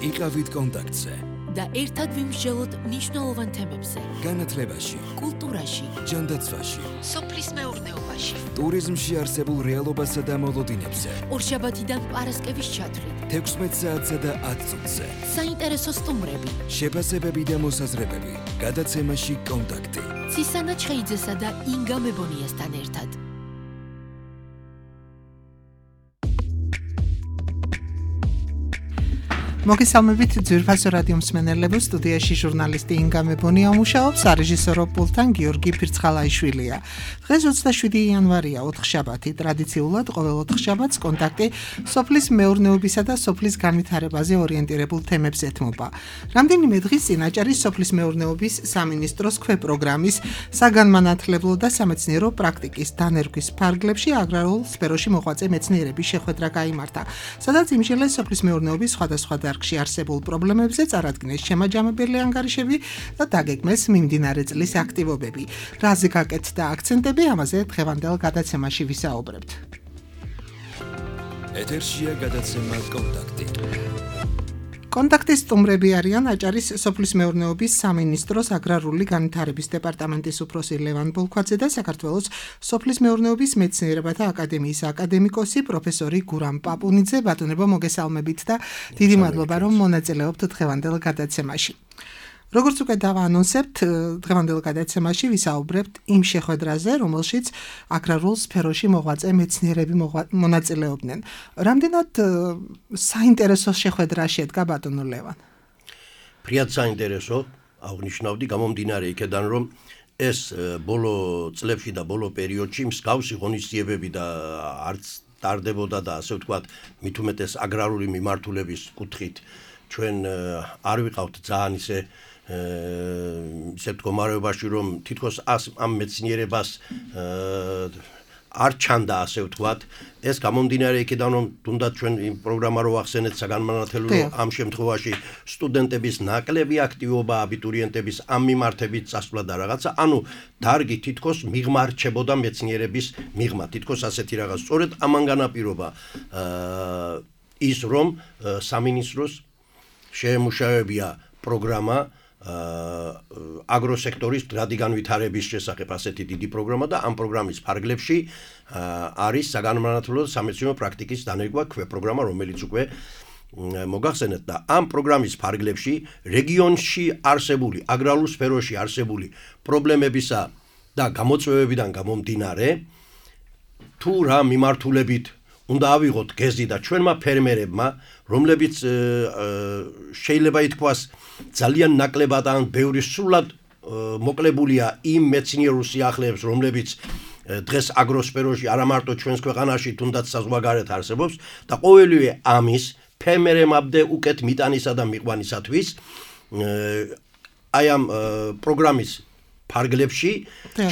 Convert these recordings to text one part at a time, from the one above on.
იყავით კონტაქტზე და ერთად ვიმსჯელოთ მნიშვნელოვან თემებზე. განათლებაში, კულტურაში, ჯანდაცვაში, სოფლის მეურნეობაში, ტურიზმში არსებულ რეალობასა და მოლოდინებზე. ორშაბათიდან პარასკევის ჩათვლით, 16 საათსა და 10 წუთზე. საინტერესო სტუმრები, შეფასებები და მოსაზრებები. გადაცემაში კონტაქტი. ცისანა ჩხეიძესა და ინგა მებონიასთან ერთად. მოგესალმებით ძვირფასო რადიო მსმენელებო, სტუდიაში ჟურნალისტი ინგა მებონია მუშაობს, სარეჟისორო პულტთან გიორგი ფირცხალაიშვილია. დღეს 27 იანვარია, ოთხშაბათი. ტრადიციულად ყოველ ოთხშაბათს კონტაქტი სოფლის მეურნეობისა და სოფლის განვითარებაზე ორიენტირებულ თემებს ეთმობა. რამდენიმე დღის წინ აჭარის სოფლის მეურნეობის სამინისტროს ქვეპროგრამის საგანმანათლებლო და სამეცნიერო პრაქტიკის დანერგვის ფარგლებში აგრარულ სფეროში მოღვაწე მეცნიერების შეხვედრა გაიმართა, სადაც იმსჯელეს სოფლის მეურნეობის სხვადასხვა დარგში არსებულ პრობლემებზე, წარადგინეს შემაჯამებელი ანგარიშები და დაგეგმეს მიმდინარე წლის აქტივობები. რაზე გაკეთდა აქცენტები, ამაზე დღევანდელ გადაცემაში ვისაუბრებთ. ეთერშია გადაცემა კონტაქტი. კონტაქტის სტუმრები არიან აჭარის სოფლის მეურნეობის სამინისტროს აგრარული განვითარების დეპარტამენტის უფროსი ლევან ბოლქვაძე და საქართველოს სოფლის მეურნეობის მეცნიერებათა აკადემიის აკადემიკოსი პროფესორი გურამ პაპუნიძე. ბატონებო, მოგესალმებით და დიდი მადლობა, რომ მონაწილეობთ დღევანდელ გადაცემაში. როგორც უკვე დავაანონსებთ, დღევანდელ გადაცემაში ვისაუბრებთ იმ შეხვედრაზე, რომელშიც აგრარულ სფეროში მოღვაწე მეცნიერები მონაწილეობდნენ. რამდენად საინტერესო შეხვედრა შედგა, ბატონო ლევან? ფრიად საინტერესო, აღნიშნავდი, გამომდინარე იქედან, რომ ეს ბოლო წლებში და ბოლო პერიოდში მსგავსი ღონისძიებები და არც ტარდებოდა და ასე ვთქვათ, მით უმეტეს აგრარული მიმართულების კუთხით ჩვენ არ ვიყავთ ძალიან ისე მდგომარეობაში, რომ თითქოს ამ მეცნიერებას არ ჩანდა, ასე ვთქვათ. ეს გამომდინარე იქიდან, რომ თუნდაც ჩვენ იმ პროგრამა რო ახსენეთ საგანმანათლებლო, ამ შემთხვევაში სტუდენტების ნაკლები აქტივობა, აბიტურიენტების ამ მიმართებით წასვლა და რაღაცა, ანუ დარგი თითქოს მიღმა რჩებოდა მეცნიერების მიღმა, თითქოს ასეთი რაღაც. სწორედ ამან განაპირობა ის, რომ სამინისტროს შეემუშავებია პროგრამა აგროსექტორის მდგრადი განვითარების შესახებ, ასეთი დიდი პროგრამა და ამ პროგრამის ფარგლებში არის საგანმანათლებლო სამეცნიერო პრაქტიკის დანერგვა ქვეპროგრამა, რომელიც უკვე მოგახსენეთ და ამ პროგრამის ფარგლებში რეგიონში არსებული, აგრარულ სფეროში არსებული პრობლემებისა და გამოწვევებიდან გამომდინარე, თუ რა მიმართულებით უნდა ავიღოთ გეზი და ჩვენმა ფერმერებმა, რომლებიც შეიძლება ითქვას ძალიან ნაკლებად ან ბევრი სრულად მოკლებულია იმ მეცნიერულ სიახლეებს, რომლებიც დღეს აგროსფეროში არა მარტო ჩვენს ქვეყანაში, თუნდაც საზღვარგარეთ არსებობს და ყოველივე ამის ფერმერებამდე უკეთ მიტანისა და მიყვანისათვის აი ამ პროგრამის ფარგლებში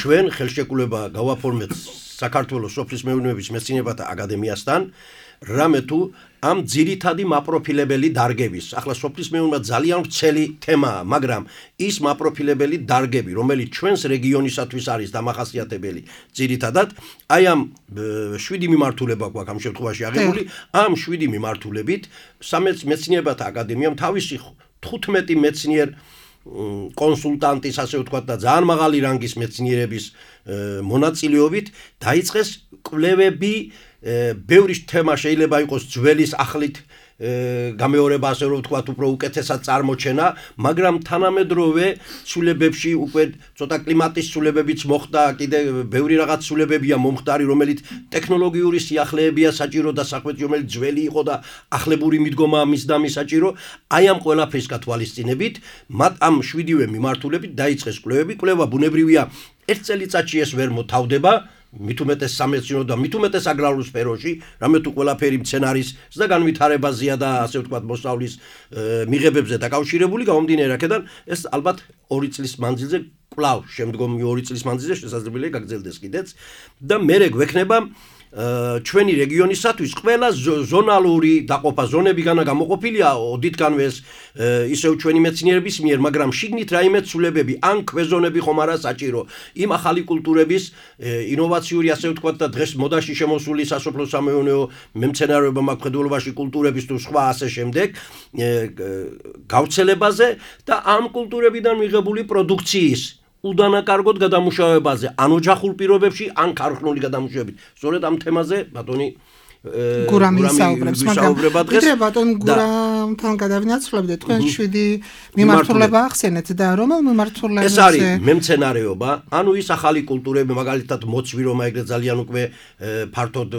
ჩვენ ხელშეკრულება გავაფორმეთ საქართველოს სოფლის მეურნეობის მეცნიერებათა აკადემიასთან, რამე თუ ამ ძირითადი მაპროფილებელი დარგების, ახლა სოფლის მეურნეობა ძალიან ვრცელი თემაა, მაგრამ ის მაპროფილებელი დარგები, რომელიც ჩვენს რეგიონისათვის არის დამახასიათებელი, ძირითადად აი ამ 7 მიმართულება გვაქვს ამ შემთხვევაში აღებული, ამ 7 მიმართულებით მეცნიერებათა აკადემიამ თავისი 15 მეცნიერ კონსულტანტის, ასე ვთქვათ, და ძალიან მაღალი რანგის მეცნიერების მონაწილეობით დაიწყეს კვლევები. ბევრი თემა შეიძლება იყოს ძველის ახლით გამეორება, ასე რომ ვთქვათ, უფრო უკეთესად წარმოჩენა, მაგრამ თანამედროვე ცვლილებებში უკვე ცოტა კლიმატის ცვლილებებიც მოხდა, კიდე ბევრი რაღაც ცვლილებებია მომხდარი, რომელიც ტექნოლოგიური სიახლეებია საჭირო და საქმეთი, რომელიც ძველი იყო და ახლებური მიდგომაა მის და მის საჭირო. აი ამ ყველაფრის გათვალისწინებით, მათ ამ 7-ვე მიმართულებით დაიწყეს კვლევები. კვლევა ბუნებრივია, ერთ წელიწადში ეს ვერ მოთავდება. მით უმეტეს სამეცნიერო და მით უმეტეს აგრარულ სფეროში, რამე თუ ყველაფერი მცენარის და განვითარებაზეა და ასე ვთქვათ მოსავლის მიღებებზე დაკავშირებული, გამომდინარე აქედან ეს ალბათ 2 წლის მანძილზე, კვლავ შემდგომი 2 წლის მანძილზე შესაძლებელია გაგრძელდეს კიდეც და მერე გვექნება ჩვენი რეგიონისათვის ყველა ზონალური დაყოფა ზონებიდან გამოყოფილია ოდითგანვე ეს ისევ ჩვენი მეცნიერების მიერ, მაგრამ შიგნით რაიმე ცვლილებები ან ქვეზონები ხომ არა საჭირო იმ ახალი კულტურების ინოვაციური ასე ვთქვათ და დღეს მოდაში შემოსული სასოფლო-სამეურნეო მემცენარეობა მაკხედველობაში კულტურების თუ სხვა ასე შემდეგ გავრცელებაზე და ამ კულტურებიდან მიღებული პროდუქციის უდანაკარგოდ გადამუშავებაზე, ან ოჯახურ პირობებში, ან ქარხნული გადამუშავებით. სწორედ ამ თემაზე ბატონი გურამი საუბრობს, მაგრამ ვიდრე ბატონ გურამთან გადავინაცვლებდეთ, თქვენ 7 მიმართულება ახსენეთ და რომელ მიმართულებაზე? ეს არის მემცენარეობა, ანუ ის ახალი კულტურები, მაგალითად მოცვი, რომ ეგრე ძალიან უკვე ფართოდ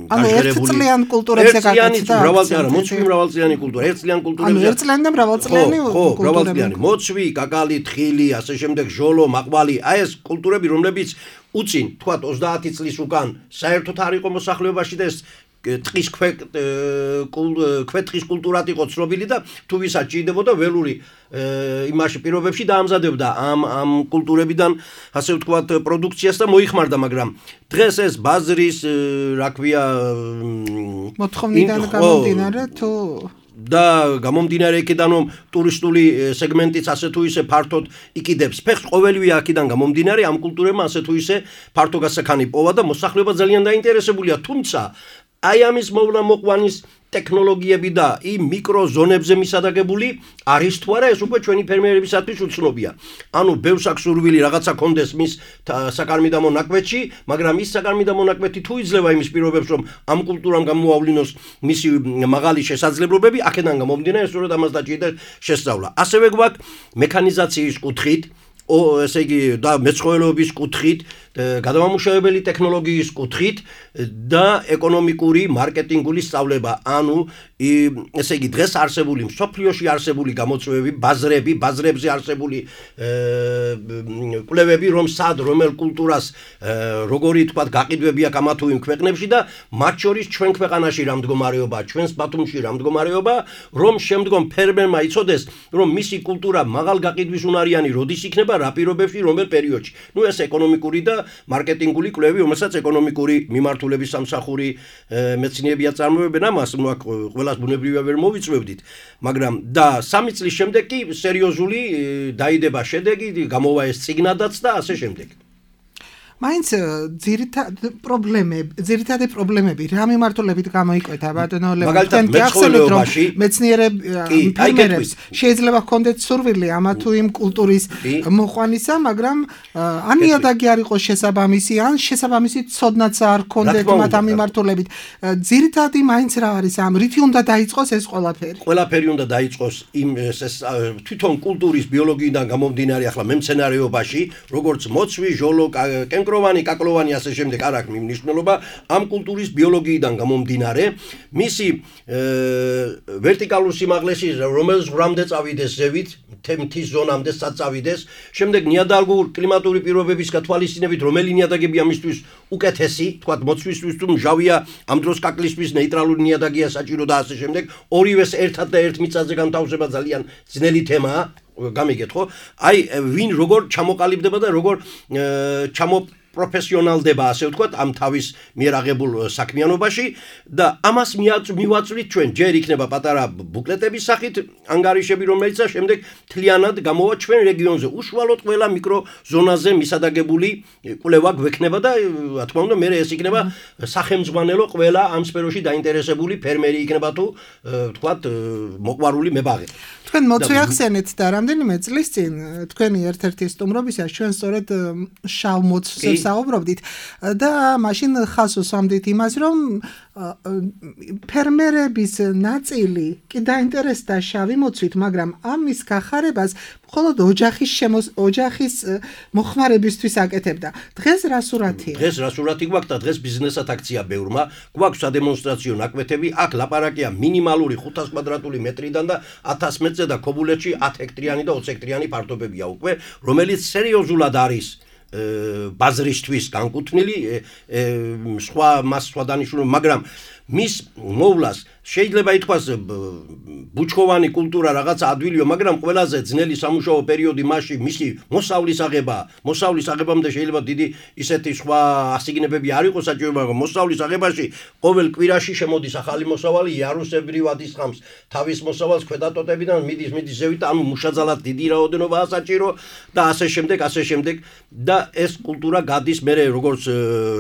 გაჟღერებული. ანუ ერთწლიან კულტურებზე გაკეთდა. მრავალწლიანი, მოცვი მრავალწლიანი კულტურა, ერთწლიან კულტურებზე. ანუ ერთწლიანი და მრავალწლიანი კულტურები. მრავალწლიანი, მოცვი, კაკალი, თხილი, ასე შემდეგ, ჟოლო, მაყვალი, აი ეს კულტურები, რომლებიც უწინ, თქვათ 30 წლის უკან საერთოდ არ იყო მოსახლეობაში და ეს ტყის ქვეტყის კულტურად იყო ცნობილი და თუ ვისაც ჭირდებოდა ველური იმაში პირობებში დაამზადებდა ამ კულტურებიდან ასე ვთქვათ პროდუქციას და მოიხმარდა, მაგრამ დღეს ეს ბაზრის, რა ქვია, მოთხოვნიდან გამომდინარე თუ და გამომდინარე იქიდან რომ ტურისტული სეგმენტიც ასე თუ ისე ფართოდ იკიდებს ფეხს ყოველივე აქედან გამომდინარე ამ კულტურებმა ასე თუ ისე ფართო გასახანი პოვა და მოსახლეობა ძალიან დაინტერესებულია, თუმცა აი ამის მოვლა მოყვანის ტექნოლოგიები და იმ მიკროზონებზე მისადაგებული არის თუ არა ეს უკვე ჩვენი ფერმერებისათვის უცნობია. ანუ ბევრს აქვს სურვილი რაღაცა კონდეს მის საკარმიდამო ნაკვეთში, მაგრამ ის საკარმიდამო ნაკვეთი თუ იძლევა იმის პირობებს რომ ამ კულტურამ გამოავლინოს მისი მაღალი შესაძლებლობები, აქედან გამომდინარე სწორედ ამას დაჭირდა შესწავლა. ასევე გვაქვს მექანიზაციის კუთხით, ესე იგი და მეცხოველეობის კუთხით, გადამამუშავებელი ტექნოლოგიის კუთხით და ეკონომიკური მარკეტინგული სწავლება, ანუ ესე იგი დღეს არსებული მსოფლიოში არსებული გამოწვევები, ბაზრებზე არსებული კვლევები, რომ სად რომელ კულტურას როგორი თქვათ გაყიდვები აქვს ამა თუ იმ ქვეყნებში და მათ შორის ჩვენ ქვეყანაში რა მდგომარეობა, ჩვენს ბათუმში რა მდგომარეობა, რომ შემდგომ ფერმერმა იცოდეს, რომ მისი კულტურა მაღალ გაყიდვის უნარიანი როდის იქნება, რა პირობებში, რომელ პერიოდში. ნუ ეს ეკონომიკური და მარკეტინგული კვლევები, რომელსაც ეკონომიკური მიმართულების სამსახური მეცნიერები აწარმოებენ ამას, ნუ აქ ყველას ბუნებრივია ვერ მოვიწვევდით, მაგრამ და 3 წლის შემდეგ კი სერიოზული დაიდება შედეგი, გამოვა ეს წიგნადაც და ასე შემდეგ. მაინც ძირითადი პრობლემები რა მიმართულებით გამოიკვეთა ბატონო ლევან, თქვენ გახსენეთ რომ ფერმერებს შეიძლება ჰქონდეთ სურვილი ამა თუ იმ კულტურის მოყვანისა, მაგრამ ან იადაგი არ იყოს შესაბამისი, ან შესაბამისი ცოდნაც არ ჰქონდეთ მათ ამ მიმართულებით. ძირითადი მაინც რა არის ამ რითი უნდა დაიწყოს ეს ყველაფერი? ყველაფერი უნდა დაიწყოს იმ თვითონ კულტურის ბიოლოგიიდან გამომდინარე, ახლა მემცენარეობაში, როგორც მოცვი, ჟოლო, კენკროვანი, კაკლოვანი ასე შემდეგ არ აქვს მნიშვნელობა, ამ კულტურის ბიოლოგიიდან გამომდინარე, მისი ვერტიკალურ სიმაღლეში რომელიც ღრამდე წავიდეს ზევით, თემთის ზონამდე საწავიდეს, შემდეგ ნიადაგურ კლიმატური პირობების გათვალისწინებით, რომელი ნიადაგები ამისთვის უკეთესი, თქვათ მოცვისთვის თუ მჟავია, ამ დროს კაკლისთვის ნეიტრალური ნიადაგია საჭირო და ასე შემდეგ, ორივეს ერთად და ერთ მიწაზე განთავსება ძალიან ძნელი თემაა. გამიგეთ ხო? აი ვინ როგორ ჩამოყალიბდება და როგორ პროფესიონალდება ასე ვთქვათ ამ თავის მიერ აღებულ საქმიანობაში და ამას მივაწვით ჩვენ ჯერ იქნება პატარა ბუკლეტების სახით ანგარიშები რომელიცაა შემდეგ თლიანად გამოვა ჩვენ რეგიონზე უშუალოდ ყველა მიკროზონაზე მისადაგებული კვლევა გვექნება და რა თქმა უნდა მე ეს იქნება სახელმძღვანელო ყველა ამ სფეროში დაინტერესებული ფერმერი იქნება თუ ვთქვათ მოყვარული მებაღე თქვენ მოწვი ახსენეთ და რამდენიმე წლის წინ თქვენი ერთ-ერთი სტუმრობისას ჩვენ სწორედ შავ მოცვზე საუბრობდით და მაშინ ხას უსვამდით იმას რომ ფერმერების ნაწილი კი დაინტერესდა შავი მოცვით, მაგრამ ამის გახარებას მხოლოდ ოჯახის მოხმარებისთვის აკეთებდა. დღეს რა სურათია? დღეს რა სურათი გვაქვს და დღეს ბიზნესად აქცია ბევრმა, გვაქვს სადემონსტრაციო ნაკვეთები, აქ ლაპარაკია მინიმალური 500 კვადრატული მეტრიდან და 1000 მეტრზე და ქობულეთში 10 ჰექტრიანი და 20 ჰექტრიანი ფართობებია უკვე, რომელიც სერიოზულად არის ბაზრისთვის განკუთვნილი, სხვა დანიშნულება, მაგრამ მის მოვლას შეიძლება ითქვას ბუჩქოვანი კულტურა რაღაცა ადვილია, მაგრამ ყველაზე ძნელი სამუშაო პერიოდი მასში მისი მოსავლის აღებამდე შეიძლება დიდი ისეთი სხვა ასიგნებები არ იყოს საჭირო, მაგრამ მოსავლის აღებაში ყოველ კვირაში შემოდის ახალი მოსავალი, იარუსებრივად ისხამს თავის მოსავალს ქვედატოტებიდან მიდის ზევით, ანუ მუშაძალად დიდი რაოდენობაა საჭირო და ასე შემდეგ და ეს კულტურა გადის მერე როგორც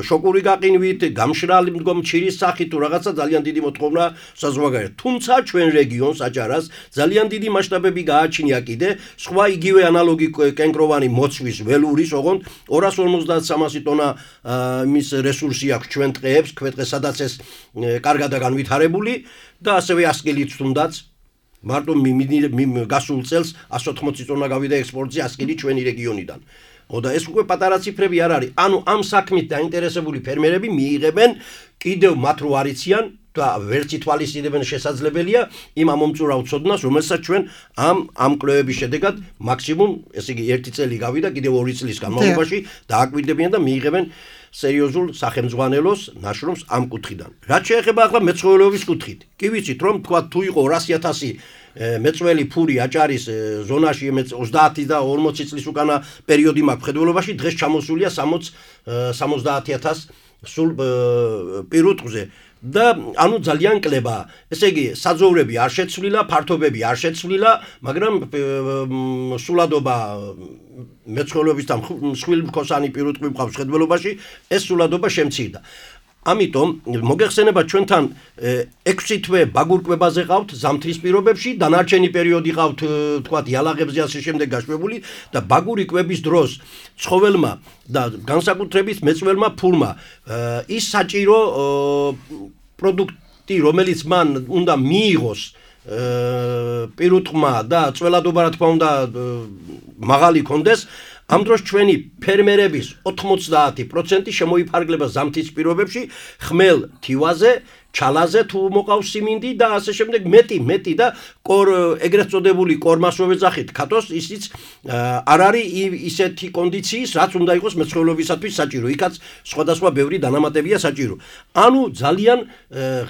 შოკური გაყინვით, გამშრალი მდგომჩირის სახით თუ რაღაცა ძალიან დიდი მოთხოვნა საზღვარგარეთ. თუმცა ჩვენ რეგიონს აჭარას ძალიან დიდი მასშტაბები გააჩნია კიდე სხვა იგივე ანალოგი კენკროვანი მოცვის ველურის, ოღონდ 250-300 ტონა მის რესურსი აქვს ჩვენ ტყეებს, ქვეტყე სადაც ეს კარგადაა განვითარებული და ასევე ასკილიც თუნდაც მარტო გასულ წელს 180 ტონა გავიდა ექსპორტზე ასკილი ჩვენი რეგიონიდან. და ეს უკვე პატარა ციფრები არ არის. ანუ ამ საქმით დაინტერესებული ფერმერები მიიღებენ კიდევ მათ რო არიციან და ვერც ითვალისწინებენ შესაძლებელია იმ ამომწურავ ცოდნას, რომელსაც ჩვენ ამ კვლევების შედეგად მაქსიმუმ, ესე იგი 1 წელი გავიდა, კიდევ 2 წლის განმავლობაში დააკვირდებიან და მიიღებენ სერიოზულ სახელმძღვანელოს ნაშრომს ამ კუთხიდან. რაც შეეხება ახლა მეცხოველეობის კუთხით. კი ვიცით რომ თქვა თუ იყო 200.000 მეწველი ფური აჭარის ზონაში 30 და 40 წლის უკანა პერიოდი მაქვს მხედველობაში, დღეს ჩამოსულია 70.000 სულ პირუტყვზე და ანუ ძალიან კლებაა. ესე იგი საძოვრები არ შეცვლილა, ფართობები არ შეცვლილა, მაგრამ სულადობა მეცხოველეობის და მსხვილმქოსანი პირუტყვი მყავს მხედველობაში, ეს სულადობა შემცირდა. ამიტომ მოგეხსენება ჩვენთან 6 თვე ბაგურკვებაზე ყავთ ზამთრის პირობებში, დანარჩენი პერიოდი ყავთ თქვათ იალაღებზე ასე შემდეგ გაშვებული და ბაგური კვების დროს ცხოველმა და განსაკუთრებით მეწველმა ფურმა ის საჭირო პროდუქტი, რომელიც მან უნდა მიიღოს პირუტყმა და წველადობა რა თქმა უნდა მაღალი კონდეს, ამ დროს ჩვენი ფერმერების 90% შემოიფარგლება ზამთრის პირობებში ხმელ თივაზე, ჩალაზე თუ მოყავს სიმინდი და ასე შემდეგ მეტი და ეგრეთ წოდებული კორმასოვე ძახით ქათოს ისიც არ არის ისეთი კონდიციის, რაც უნდა იყოს მეცხოველეობისათვის საჭირო. იქაც სხვადასხვა ბევრი დანამატებია საჭირო. ანუ ძალიან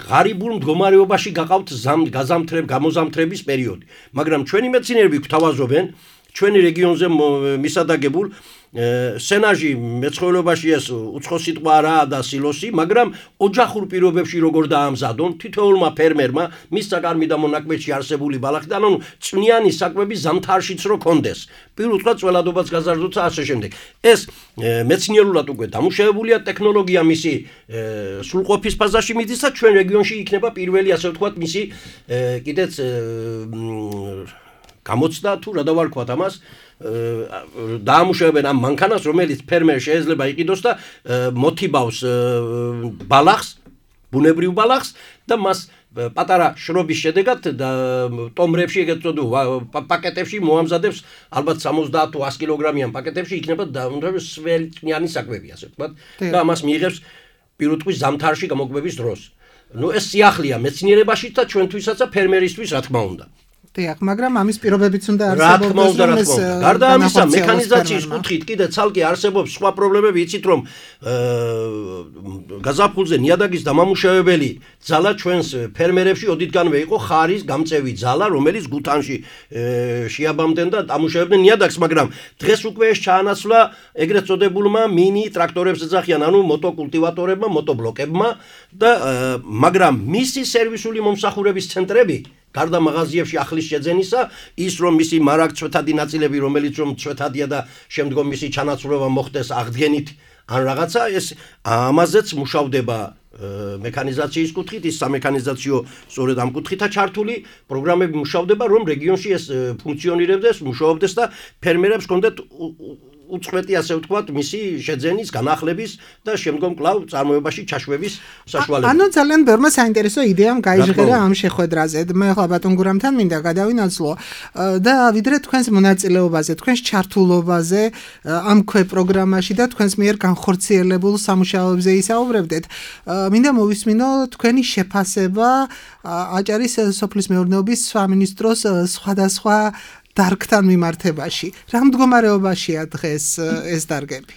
ღარიბულ მდგომარეობაში გაყავთ გამოზამთრების პერიოდი. მაგრამ ჩვენი მეცნიერები გვთავაზობენ ჩვენი რეგიონზე მისადაგებულ სენაჟი მეცხოველეობაში ეს უცხო სიტყვა არაა და სილოსი, მაგრამ ოჯახურ პირობებში როგორ დაამზადონ თითოეულმა ფერმერმა მის საკარმი და მონაკვეთში არსებული ბალახიდან, ანუ წვნიანი საკვები ზამთარშიც რო კონდეს. პირუტყვა წველადობაც გაზარდოთ და ასე შემდეგ. ეს მეცნიერულად უკვე დამუშავებულია ტექნოლოგია მისი სრულყოფის ფაზაში მიდის და ჩვენ რეგიონში იქნება პირველი ასე ვთქვათ მისი კიდეც გამოცდა თუ რა დავარქვათ ამას დაამუშავებენ ამ მანქანას, რომელიც ფერმერ შეიძლება იყიდოს და მოთიბავს ბალახს, ბუნებრივ ბალახს და მას პატარა შრობის შედეგად და ტომრებში ეგეთ პაკეტებში მოამზადებს, ალბათ 70 თუ 100 კილოგრამიან პაკეტებში იქნება სველწნიანი საკვები, ასე ვთქვათ, და ამას მიიღებს პირუტყვის ზამთარში გამოკვების დროს. ეს სიახლეა მეცნიერებაშიც და ჩვენთვისაც და ფერმერისთვის რა თქმა უნდა. დიახ, მაგრამ ამის პირობებიც უნდა არსებობდეს. გარდა ამისა, მექანიზაციის კუთხით კიდე ცალკე არსებობს სხვა პრობლემები, იცით რომ გაზაფხულზე ნიადაგის დამამუშავებელი ძალა ჩვენს ფერმერებში ოდითგანვე იყო ხარის გამწევი ძალა, რომელიც გუთანში შეაბამდნენ და დამუშავებდნენ ნიადაგს, მაგრამ დღეს უკვე ეს ჩაანაცვლა ეგრეთ წოდებულმა მინი ტრაქტორებს ეძახიან, ანუ მოტოკულტივატორებმა, მოტობლოკებმა და მაგრამ მისი სერვისული მომსახურების ცენტრები გარდა მაღაზიებში ახლის შეძენისა, ის რომ მისი მარაგცვეთადი ნაწილები, რომელიც რომ ცვეთადია და შემდგომ მისი ჩანაცვლება მოხდეს აღდგენით ან რაღაცა, ეს ამაზეც მუშავდება მექანიზაციის კუთხით, ის სამექანიზაციო სწორედ ამ კუთხითაა ჩართული, პროგრამები მუშავდება, რომ რეგიონში ეს ფუნქციონირებდეს, მუშაობდეს და ფერმერებს ჰქონდეთ უწყვეტი ასე ვთქვათ, მისი შეძენის, განახლების და შემდგომ კვლავ წარმოებაში ჩაშვების საშუალება. ანუ ძალიან ბევრმა საინტერესო იდეამ გაიჟღერა ამ შეხვედრაზე. მე ახლა ბატონ გურამთან მინდა გადავინაცვლო და ვიდრე თქვენს მონაწილეობაზე, თქვენს ჩართულობაზე ამ პროგრამაში და თქვენს მიერ განხორციელებულ სამუშაოებზე ისაუბრებდეთ. მინდა მოვისმინო თქვენი შეფასება აჭარის სოფლის მეურნეობის სამინისტროს სხვადასხვა დარგთან მიმართებაში. რა მდგომარეობაშია დღეს ეს დარგები?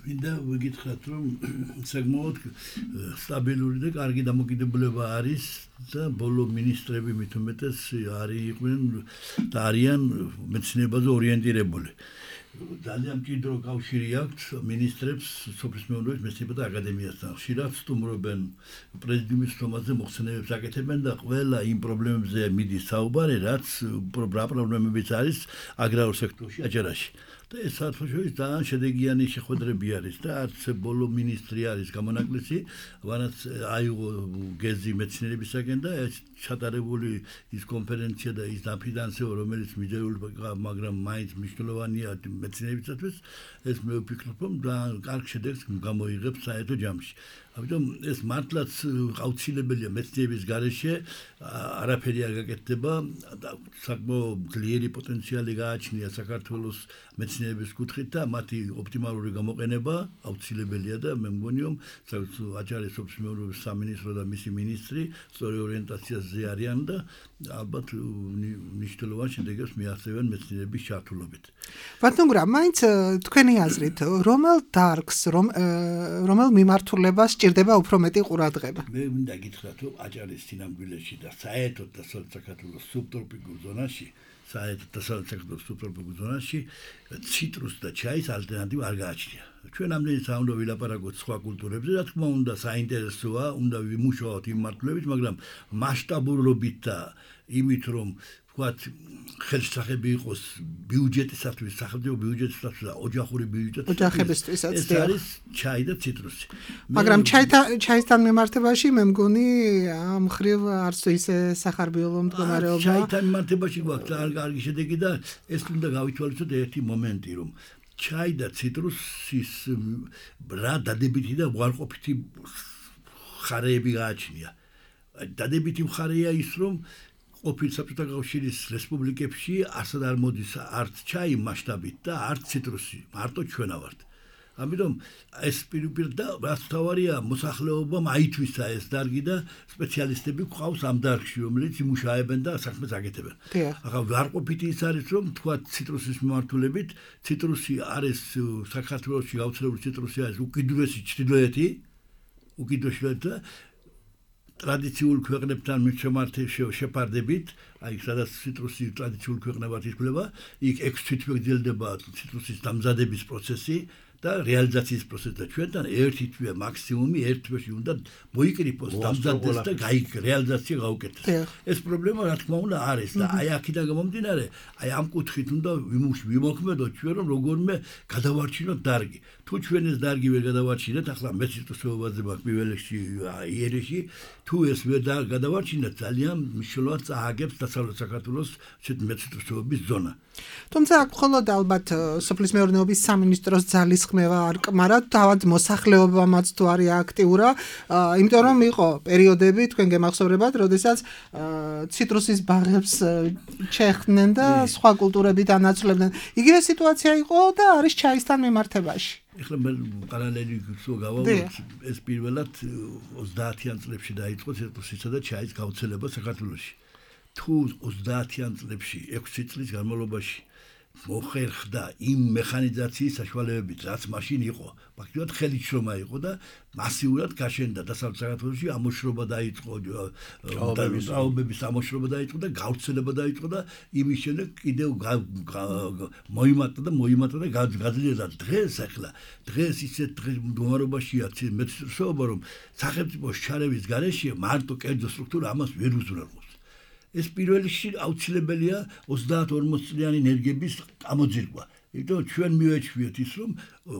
მინდა ვიგითხრათ, რომ საკმაოდ სტაბილური და კარგი დამოკიდებულება არის და ბოლო მინისტრები მით უმეტეს იყვნენ და არიან მეცნიერებაზე ორიენტირებული. ძალიან მჭიდრო კავშირი აქვს მინისტრებს სოფლის მეურნეობის მეცნიერებათა აკადემიასთან. ხშირად სტუმრობენ პრეზიდიუმის თომაზე მოხსენებებს აკეთებენ და ყველა იმ პრობლემებზე მიდის საუბარი, რაც პრობლემებიც არის აგრარულ სექტორში, აჭარაში. და ეს საერთაშორისო ძალიან შედეგიანი შეხვედრები არის და არც ბოლო მინისტრი არის გამონაკლისი, ვანაც აიღო გეზი მეცნიერებისაგან და ჩატარებული ის კონფერენცია და ის დაფინანსება, რომელიც მიზერული, მაგრამ მაინც მნიშვნელოვანია მეცნიერებისათვის, ეს მე ვფიქრობ, რომ კარგ შედეგს გამოიღებს საერთო ჯამში. ამიტომ ეს მართლაც აუცილებელია მეცნიერების გარეშე, არაფერი არ გაკეთდება და საკმაოდ ძლიერი პოტენციალი გააჩნია საქართველოს მეცნიერების კუთხით და მათი ოპტიმალური გამოყენება აუცილებელია და მე მგონი რომ აჭარის სოფლის მეურნეობის სამინისტრო და მისი მინისტრი სწორი ორიენტაციაზე არიან და ალბათ მნიშვნელოვან შედეგებს მიაღწევენ მეცნიერების ჩართულობით. ბატონგრა, მაინც თქვენი აზრით, რომელ დარგს, რომელ მიმართულებას სჭირდება უფრო მეტი ყურადღება? მე მინდა გითხრათ, რომ აჭარის სინამდვილეში და საერთოდ დასავლეთ საქართველოს სუბტროპიკულ ზონაში ციტრუს და ჩაის ალტერნატივა არ გააჩნია. ჩვენ ამდენი საუნდა ვილაპარაკოთ სხვა კულტურებზე, რა თქმა უნდა, საინტერესოა, უნდა ვიმუშაოთ იმ მართლებით, მაგრამ მასშტაბურობით და იმით, რომ ვთქვათ, ხელშესახები იყოს ბიუჯეტისათვის, სახელმწიფო ბიუჯეტისათვის და ოჯახური ბიუჯეტისათვის. ოჯახებისთვისაც ეს არის ჩაი და ციტრუსი. მაგრამ ჩაისთან მიმართებაში მე მგონი ამ ხრივ არც ისე სახარბიელო მდგომარეობა. ჩაისთან მიმართებაში გვაქვს ძალიან კარგი შედეგი და ეს უნდა გავითვალისწინოთ ერთი მომენტი, რომ ჩაი და ციტრუსის რა დადებითი და უარყოფითი მხარეები გააჩნია. დადებითი მხარეა ის, რომ ყოფილ საბჭოთა კავშირის რესპუბლიკებში არსად არ მოდის არც ჩაი მასშტაბით და არც ციტრუსი, მარტო ჩვენა ვართ. ამიტომ ეს პირდაპირ და რაც თავარია მოსახლეობამ აითვისა ეს დარგი და სპეციალისტები ყავს ამ დარგში, რომელიც იმუშავებენ და საქმეს აკეთებენ. ახლა ვარყოფითი ის არის, რომ თქვა ციტრუსის მიმართულებით, ციტრუსი არის საქართველოში გავრცელებული ციტრუსი არის უკიდურესი ჩრდილოეთი, უკიდურესი ტრადიციულ ქვეყნებთან შეფარდებით, აი სადაც ციტრუსი ტრადიციულ ქვეყნებად ითვლება, იქ 6 თვით გრძელდება ციტრუსის დამზადების პროცესი და რეალიზაციის პროცესი და ჩვენთან ერთი თვე მაქსიმუმი ერთ თვეში უნდა მოიკრიფოს დამზადდეს და რეალიზაცია გაუკეთდეს. ეს პრობლემა რა თქმა უნდა არის და აი აქედან გამომდინარე, აი ამ კუთხით უნდა ვიმოქმედოთ ჩვენ რომ როგორმე გადავარჩინოთ დარგი. თუ ჩვენ ეს დარგი ვერ გადავარჩინეთ, ახლა მეცნიერებაზე მაქვს პირველ რიგში იერეში, თუ ეს ვერ გადავარჩინეთ, ძალიან მნიშვნელოვნად წააგებს დასავლეთ საქართველოს მეცნიერების ზონა. თუმცა აქ მხოლოდ ალბათ სოფლის მეურნეობის სამინისტროს ძალისხმევა არ კმარად, თავად მოსახლეობამაც თუ არის აქტიურა, იმიტომ რომ იყო პერიოდები, თქვენ გემახსოვრებათ, როდესაც ციტრუსის ბაღებს ჩეხდნენ და სხვა კულტურებით ანაცვლებდნენ. იგივე სიტუაცია იყო და არის ჩაისთან მიმართებაში. ეხლა მე პარალელი გავავოთ, ეს პირველად 30-იან წლებში დაიწყო ციტრუსისა და ჩაის გავრცელება საქართველოში. თუ 30-იან წლებში 6 წლის განმავლობაში მოხერხდა იმ მექანიზაციის საშუალებებით, რაც მაშინ იყო, ფაქტობრივად ხელისშრომა იყო და მასიურად გაშენდა დასავლეთ საქართველოში ამოშრობა დაიწყო, ჭაობების ამოშრობა დაიწყო და გავრცელება დაიწყო და იმის შემდეგ კიდევ მოიმატა და გაძლიერდა. დღეს ისეთ მდგომარეობაშია მეცნიერობა, რომ სახელმწიფოს ჩარევის გარეშე მარტო კერძო სტრუქტურა ამას ვერ უზრუნველყოფს. ეს პირველ რიგში აუცილებელია 30-40 წლიანი ენერგიების გამოძირკვა. იმიტომ ჩვენ მივეჩვიეთ ის, რომ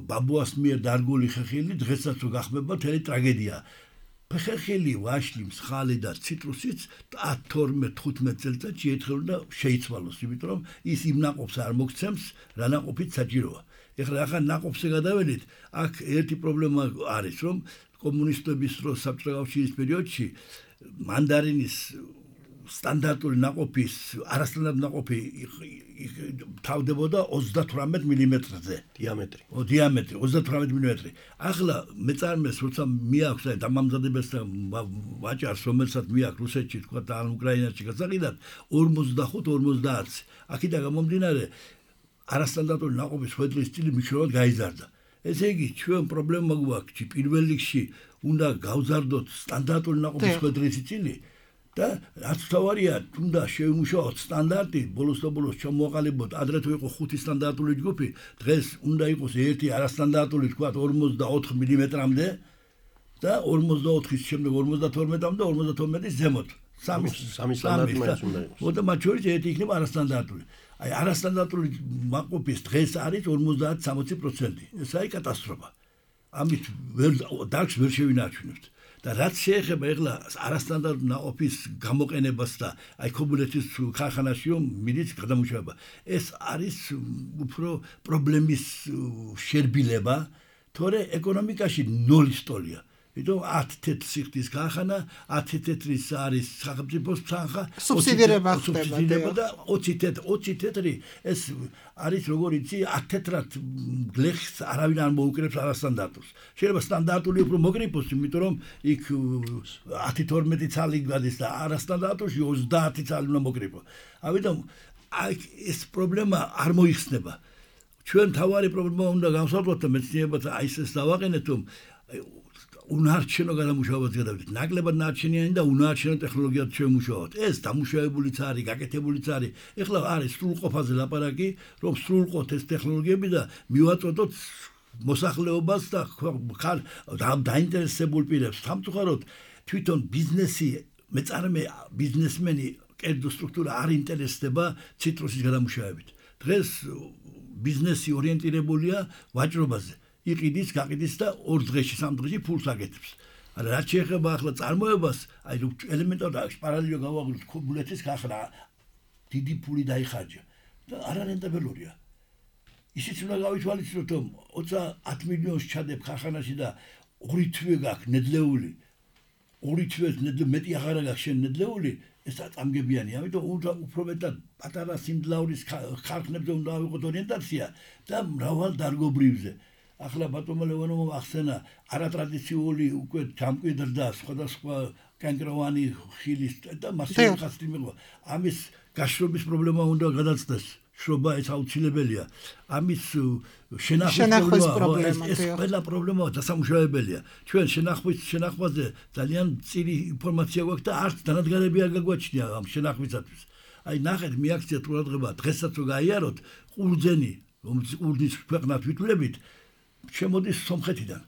ბაბუას მიერ დარგული ხეხილი დღესაც რო გახმება, თელი ტრაგედია. ხეხილი, ვაშლი, მსხალი და ციტრუსიც 12-15 წელიწადში ერთხელ უნდა შეიცვალოს, იმიტომ რომ ის იმ ნაყოფს არ მოგცემს, რა ნაყოფით საჭიროა. ეხლა ნაყოფზე გადავედით, აქ ერთი პრობლემა არის, რომ კომუნისტების დროს საბჭოთა კავშირის პერიოდში მანდარინის სტანდარტული ნაყოფის არასტანდარტული ნაყოფი თავდებოდა 38 მმ-ზე დიამეტრი. დიამეტრი 38 მმ. ახლა მეწარმეს როცა მიაქვს და დამამზადებელს და ვაჭარს რომელსაც მიაქვს რუსეთში თქვა და უკრაინაში გასაყიდად 45-50. აქედან გამომდინარე არასტანდარტული ნაყოფის ხვედრის სტილი მნიშვნელოვნად გაიზარდა. ესე იგი ჩვენ პრობლემა გვაქვს პირველ რიგში უნდა გავზარდოთ სტანდარტული ნაყოფის ხვედრისი წილი და რაც თავარია უნდა შევიმუშაოთ სტანდარტი ბოლოს ჩამოაყალიბოთ ადრე თუ იყო 5 სტანდარტული ჯგუფი დღეს უნდა იყოს ერთი არასტანდარტული თქვა 44 მმ-მდე და 44-ის შემდეგ 52-მდე 52-ის ზემოთ სამი სტანდარტი მაინც უნდა იყოს. მოდი მათ შორის ერთი იქნება არასტანდარტული. აი არასტანდარტული ნაყოფის დღეს არის 50-60%. ეს არის კატასტროფა. ამით დარგს ვერ შევინარჩუნებთ. და რაც შეეხება ეხლა არასტანდარტული ნაყოფის გამოყენებას და აი ქობულეთის ქარხანაშიო მიდის გადამუშავება. ეს არის უფრო პრობლემის შერბილება, თორე ეკონომიკაში ნოლის ტოლია. Ito 10 თეთრ სიხდის ქარხანა, 10 თეთრის არის სახელმწიფოს თანხა, სუბსიდირება ხდება და 20 თეთრი ეს არის როგორ იცი 10 თეთრად გლეხს არავინ არ მოუკრებს არასტანდარტულს. შეიძლება სტანდარტული უფრო მოგრიფოს, იმიტომ რომ იქ 10-12 ცალი გადის და არასტანდარტულში 30 ცალი უნდა მოგრიფო. ამიტომ ეს პრობლემა არ მოიხსნება. ჩვენ თავარი პრობლემა უნდა გავსაუბროთ და მეცნიერებად აი ეს დავაყენეთ რომ უნარჩენო გადამუშავებაც გადავიდეთ. ნაკლებად ნარჩენიანი და უნარჩენო ტექნოლოგიად შევმუშაოთ. ეს დამუშავებულიც არის, გაკეთებულიც არის. ეხლა არის სრულყოფაზე ლაპარაკი, რომ სრულყოთ ეს ტექნოლოგიები და მივაწოდოთ მოსახლეობას და დაინტერესებულ პირებს. სამწუხაროდ თვითონ ბიზნესი, მეწარმე ბიზნესმენი კერძო სტრუქტურა არ ინტერესდება ციტრუსის გადამუშავებით. დღეს ბიზნესი ორიენტირებულია ვაჭრობაზე. იყიდის, გაყიდის და 2 დღეში, 3 დღეში ფულს აკეთებს. არა, რაც შეეხება ახლა წარმოებას, აი ელემენტარულად პარალელო გავაღვიძოთ ქობულეთის ქარხანა, დიდი ფული დაიხარჯა და არარენტაბელურია. ისიც უნდა გავითვალისწინოთ, რომ 10 მილიონს ჩადებ ქარხანაში და 2 თვე გაქვს ნედლეული, 2 თვეს მეტი აღარ გაქვს შენ ნედლეული, ეს წამგებიანი, ამიტომ უნდა უფრო მეტად პატარა სიმძლავრის ქარხნებზე უნდა ავიღოთ ორიენტაცია და მრავალ დარგობრივზე. ახლა ბატონმა ლევანოვმა ახსენა არატრადიციული უკვე ჯამკვიდრდა სხვადასხვა კენკროვანი ხილის და მასიური ხასტი მიღება. ამის გაშრობის პრობლემა უნდა გადაცდეს. შრობა ეს აუცილებელია. ამის შენახვის პრობლემა ეს ყველა პრობლემა დასამუშავებელია. ჩვენ შენახვაზე ძალიან წირი ინფორმაცია გვაქვს და არც დანადგარები არ გაგვაჩნია ამ შენახვისათვის. აი ნახეთ მიაქციათ ყურადღება დღესაც რო გაიაროთ ყურძენი რომელიც ყურძნის ქვეყნად ვითვლებით შემოდის სომხეთიდან.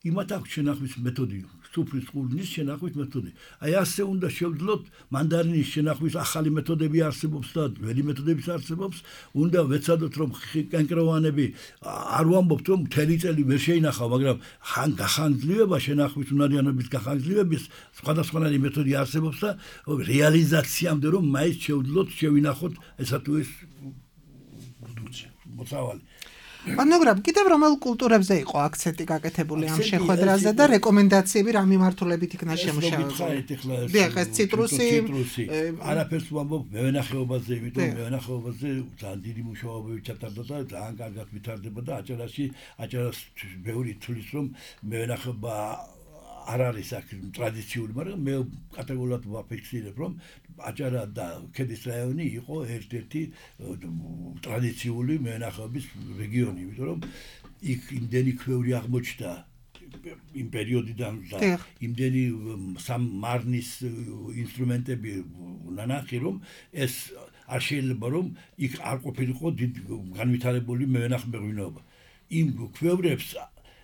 იმათ აქვს შენახვის მეთოდი, სუფრის ყურძნის შენახვის მეთოდი. აი ასე უნდა შევძლოთ მანდარინის შენახვის ახალი მეთოდები არსებობს და ველი მეთოდებიც არსებობს. უნდა ვეცადოთ რომ კენკროვანები არ ვამბობთ რომ მთელი წელი ვერ შეინახავ, მაგრამ გახანგრძლივება შენახვის უნარიანობის გახანგრძლივების სხვადასხვანაირი მეთოდი არსებობს და რეალიზაციამდე რომ მაინც შევძლოთ შევინახოთ ესა თუ ეს მოწავალი. მაგრამ კიდევ რომელ კულტურებზე იყო აქცენტი გაკეთებული ამ შეხვედრაზე და რეკომენდაციები რა მიმართულებით იქნა შემუშავებული? დიახ, ეს ციტრუსი არაფერს ვამბობ მევენახეობაზე, იმიტომ მევენახეობაზე ძალიან დიდი მუშაობები ჩატარდა და ძალიან კარგად ვითარდება და აჭარას ბევრი თulis რომ მევენახეობა არ არის აქ ტრადიციული, მაგრამ მე კატეგორიულად ვაფიქსირებ რომ აჭარა და ქედის რაიონი იყო ერთ-ერთი ტრადიციული მევენახეობის რეგიონი, იმიტომ რომ იქ იმდენი ქვევრი აღმოჩნდა იმ პერიოდიდან და იმდენი სამარნის ინსტრუმენტები ნანახი რომ ეს არ შეიძლება რომ იქ არ ყოფილიყო განვითარებული მევენახეობა. იმ ქვევრებს